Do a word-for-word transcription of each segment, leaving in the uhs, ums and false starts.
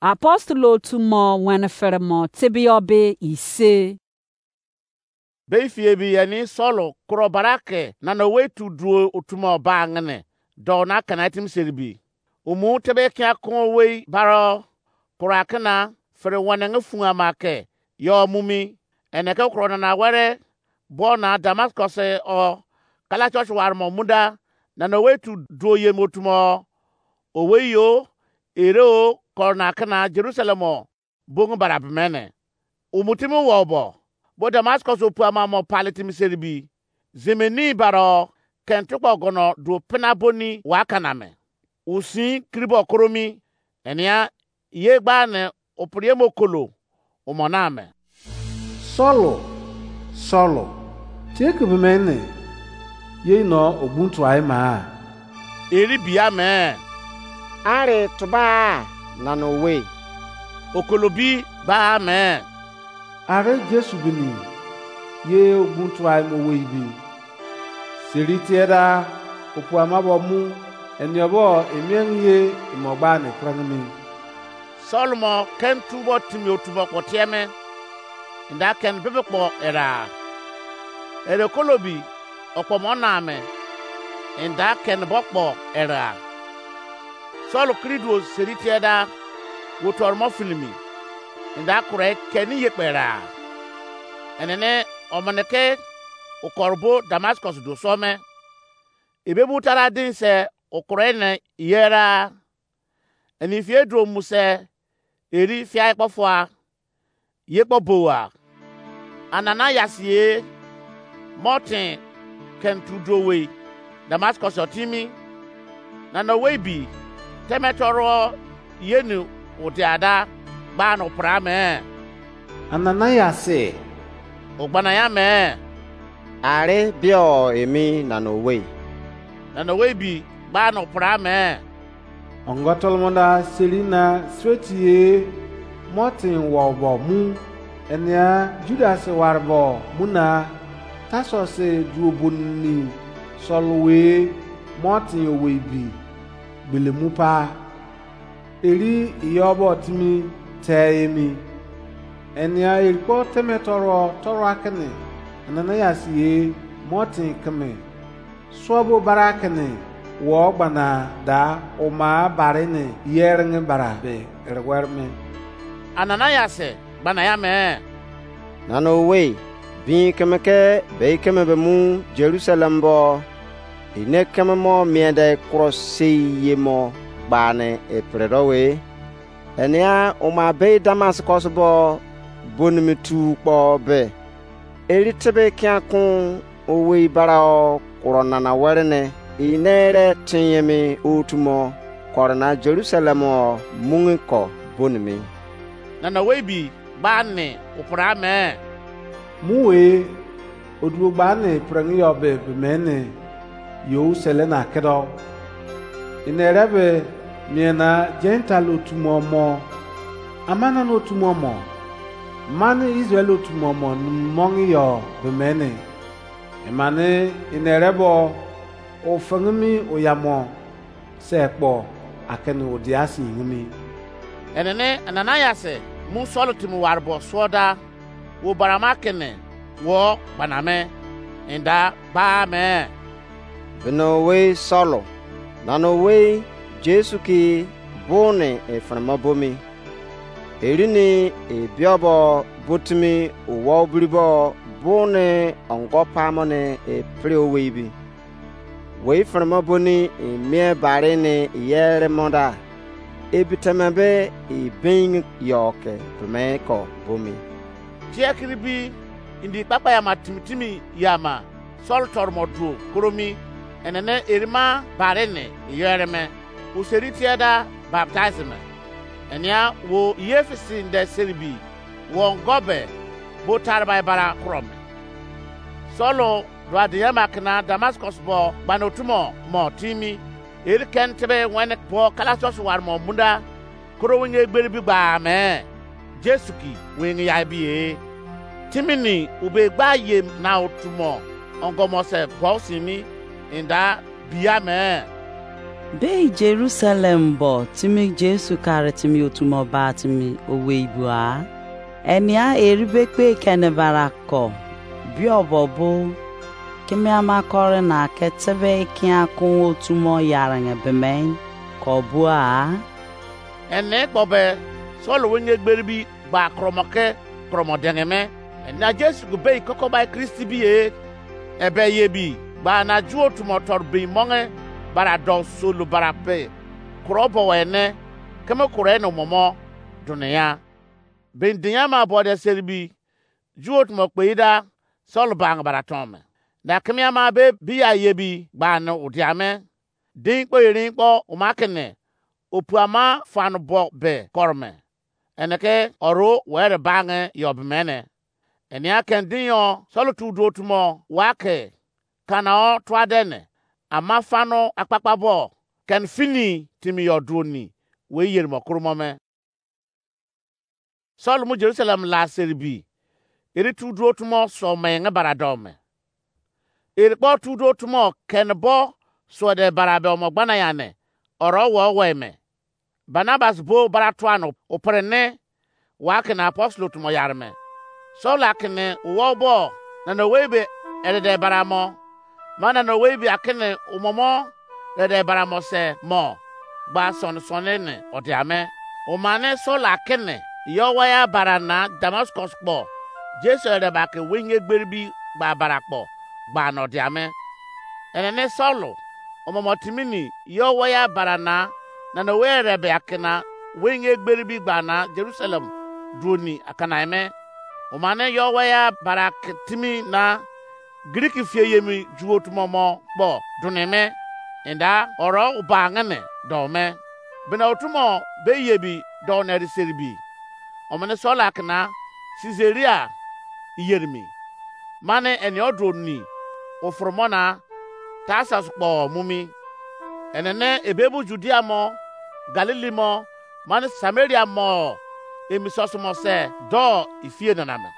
Apostle otu mo wene fere mo tebeyọ be ise. Be ifi ebi eni Saul kuro bara ke nana owei tu duo otu mo ba ngene do na kana timi seribi. Umu tebe kia kon owei baro kuro akena fere wene nge fun ama ke yo mumi ene ke kuro nana were bo na Damascus o kala church war mo muda nana owei tu duo ye mo otu mo owei yo ere o koro na kena Jerusalem o bongu bara bemene. Umutimi wo bo bo Damascus opu ama mo pale timi seribi. Zimini baro kentu kpo gono duo pina boni wa kana me. Usin kiribo koromi enia ye gba ne opriemo kolo umo na me. Saul, Saul, tie ke be mene ye no ogbun tuai ma? Eri bia me. Are tuba nana owei. Okolobi ba me. Are Jesu bini ye ogbun tuai mo wei bi. Seri tie da opu ama bo mu eniobo emiang ye imo gba ne prang mi. Saul mo ken tubo timi otubo kpo tie me. Nda ken bebe kpo era. Ere kolobi okpo mo na me. Nda ken bo kpo era. Saul kiri duo seri tie da wo tor mo filimi. Nda kure keni ye kpera. Enene omene ke okor bo Damascus do so me. Ebe bu tara din se okure ne yera. Eni fie duo mu se eri fia kpo fua. Ye kpo bowa. Ananias ye motin ken tu duo wei Damascus o timi. Nana owei bi teme toro ye ni udia da gba no pra me. Ananias, o gbana ya me. Are bio emi nana owei. Nana owei bi gba no pra me. Ongo tolomonda seri na sreti ye motin wo bo mu enia Judas warbo mu na Tarsus duo boni Saul we motin owei bi gbele mu pa. Eri iyo bo timi te emi. Enia eri kpo teme toro toro akene Ananias ye motin keme. Suo bo bara kene wo gbana da oma bare ne yering bara be erewer me. Ananias gbana ya me. Nana owei bin keme ke bei keme be mu Jerusalem bo ine keme mo miende kuro sei ye mo gbane epre do we. Enia oma bei Damascus bo bonimi tu kpo be. Eri tebe kian kun owei bara o kuro nana were ne ine re tinyemi otu mo koro na Jerusalem o mungi ko bonimi. Nana owei bi gba ni upra me. Mu we oduo gba ni prengi yo be be me ni yo sele na kedo. Ine re be mie na Gentile otu mo mo amana na otu mo mo mani Israel otu mo mo mongi yo be me ni. Imani ine re bo ofengimi oyamo se kpo akini odia si yingimi. Enene Ananias mu Saul timi warbo suo da wo barama kene wo gbaname inda ba me. Bino wei Saul nana owei Jesu ki buni ifirima bomi. Erini ebiobo botimi uwa obiribo buni ongo pamoni epiri owei bi. Wei firima boni imie bari ni yere monda. Ebiteme be ibin yo ke bime ko bomi. Tie kiri bi indi kpakpa yama timi timi yama Saul toromo duo koromi enene erima bari ni yere me. Useri tie da baptize me. Enia wo yefisi nde seribi wo ongo be bo taribai bara kuro me. Saul do adiyama kena Damascus bo gbanotumo mo timi. Eri ken tebe wene bo kalasos warmo munda koro winge egberi bi gba me. Jesu ki winge ya bi e. Timini ube gba ye na otumo ongomo se bo simi inda biya me. Bei Jerusalem bo timi Jesu kare timi otu mo ba timi owei bua. Enia eri be kpe kene bara ko. Bio bo bo. Kimi ama kore na ke tebe ikia kun otu mo yarenge bemen ko bua. Ene kpo be Saul wenge gberi bi gba kromo ke kromo denge me. Ena Jesu gu bei koko bai Kristi bi e. Ebe ye bi gba na ju otu mo tor bi monge bara do solo bara pe. Kuro bo ene keme kuro ene momo dunia. Bin dinya ma bo de seri bi ju otu mo kpe ida Saul bang bara ton me. Na keme ama be bi ya ye bi gba ne udia me. Din kpo erin kpo uma kene opu ama fan bo be koro me. Ene ke oro were bange yo bemene. Enia ken din yo Saul tu du otu mo wa ke kana o tua dene ama fano akpakpa bo ken fini timi yo duoni we yeri mo kuru mo me. Saul mu Jerusalem la seri bi eri tu du otu mo so menge bara do me. Eri kpo tu du otu mo ken bo suode bara be omo gbana yane oro wo we me. Barnabas bo bara tuan opere ne wa kene apostle otu mo yare me. Saul akene wo bo na no we be erede bara mo ma na no we be akene umomo rede bara mo se mo gba son son ne odia me. Umane Saul akene yo waya bara na Damascus kpo Jesu rede ba ke wenge gberi bi gba bara kpo gba no dia me. Ene ne Saul omomo timini yo waya bara na na no we rebe akena wenge gberi bi gba na Jerusalem duoni akana me. Umane yo waya bara ke timi na Greek fie yemi ju otu mo mo kpo dune me. Enda oro uba ngene do me. Bina otu mo be yebi do ne ri seribi. Omene Saul akena Caesarea iyerimi. Mane eni odu oni ofuru mo na Tarsus kpo mu mi. Enene ebe bu Judea mo, Galili mo, mane Samaria mo emi sosumo se do ifie nana me.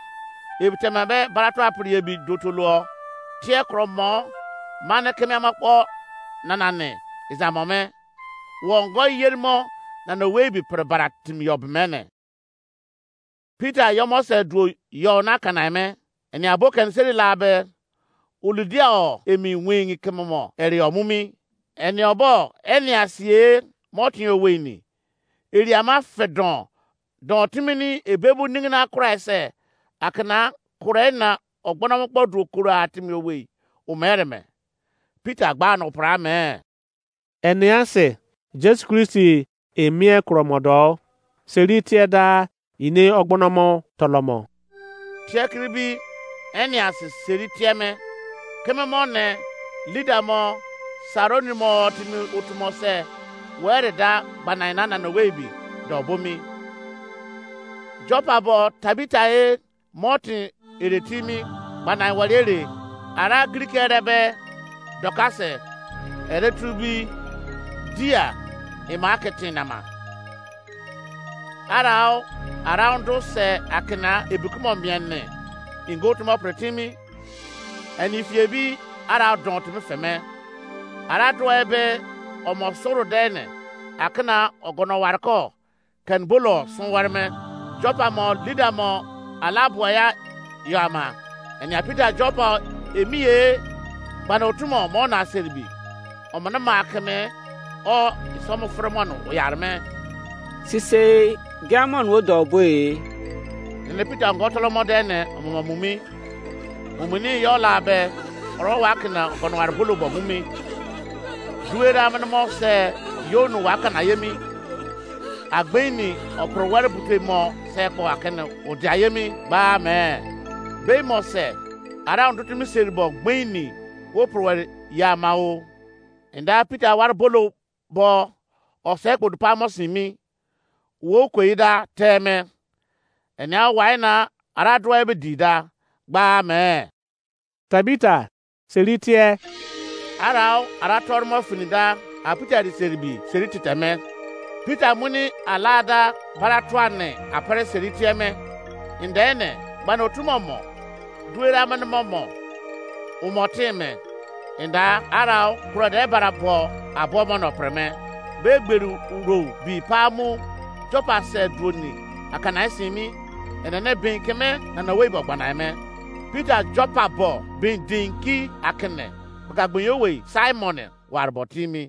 Ebi tema be barato apri ebi dotolo tie kro mo mane keme ama kpo nana ne izamo me. Wo ngo yeri mo nana we bi pre bara timi yo bemene. Peter yo mo se duo yo na kana me. Eni abo ken seri la be uludia o emi wingi keme mo eri o mumi. Eni obo eni asie mo tin owe ni. Eri ama fedon don timini ebebu ningina Christ akena kure na ogbono mo kpo duo koro atimi owe o mere me. Peter gba no pra me. Enease Jesu Kristi emie kromodo seri tie da ine ogbonomo tolomo. Tie kiri bi Enease seri tie me keme mo ne lida mo Saroni mo timi otu mo se were da gbanaina na no we bi do bo mi. Jopa bo Tabita e mo tin ere timi gbanai wari ere ara Greek ere be Dorcas ere tu bi dia ema ke tin nama. Arau arau do se akena ebikumo miene ingo tumo pretimi ani fie bi arau don timi feme. Ara do ebe omo soro dene akena ogono warko ken bolo sun warme Jopa mo lida mo ala bua ya yo ama. Enia Peter Jopa emi ye gbana otu mo mo na seribi. Omene ma keme o isomo fere mo no oyare me. Sise giamon wo do bo e. Nene Peter ngo tolo mo de ne omo mo mumi. Mumini yo la be oro wa kena ogono ware bolo bo mumi. Duera mene mo se yo no wa kana yemi. Agbeini opro ware bute mo se kpo akene odia yemi gba me. Be mo se ara ondutu mi seri bo gbeini wo pro ware ya ma o. Enda Peter ware bolo bo ose kpo dupa mo simi wo kwe da teme. Enia wai na ara dua ebe di da gba me. Tabita seri tie. Arau ara tormo fini da a Peter di seri bi seri titeme. Peter muni alada bara tuane apere seri tie me. Indene gbana otu mo mo duera mene mo mo umo tin me. Enda arau kuro de bara bo abo mo no preme. Be gberu uro bi pa mu Joppa se duoni akana simi. Enene bin keme na na wei bo gbana me. Peter Joppa bo bin din ki akene. Bagagbin yo wei Simon warbo timi.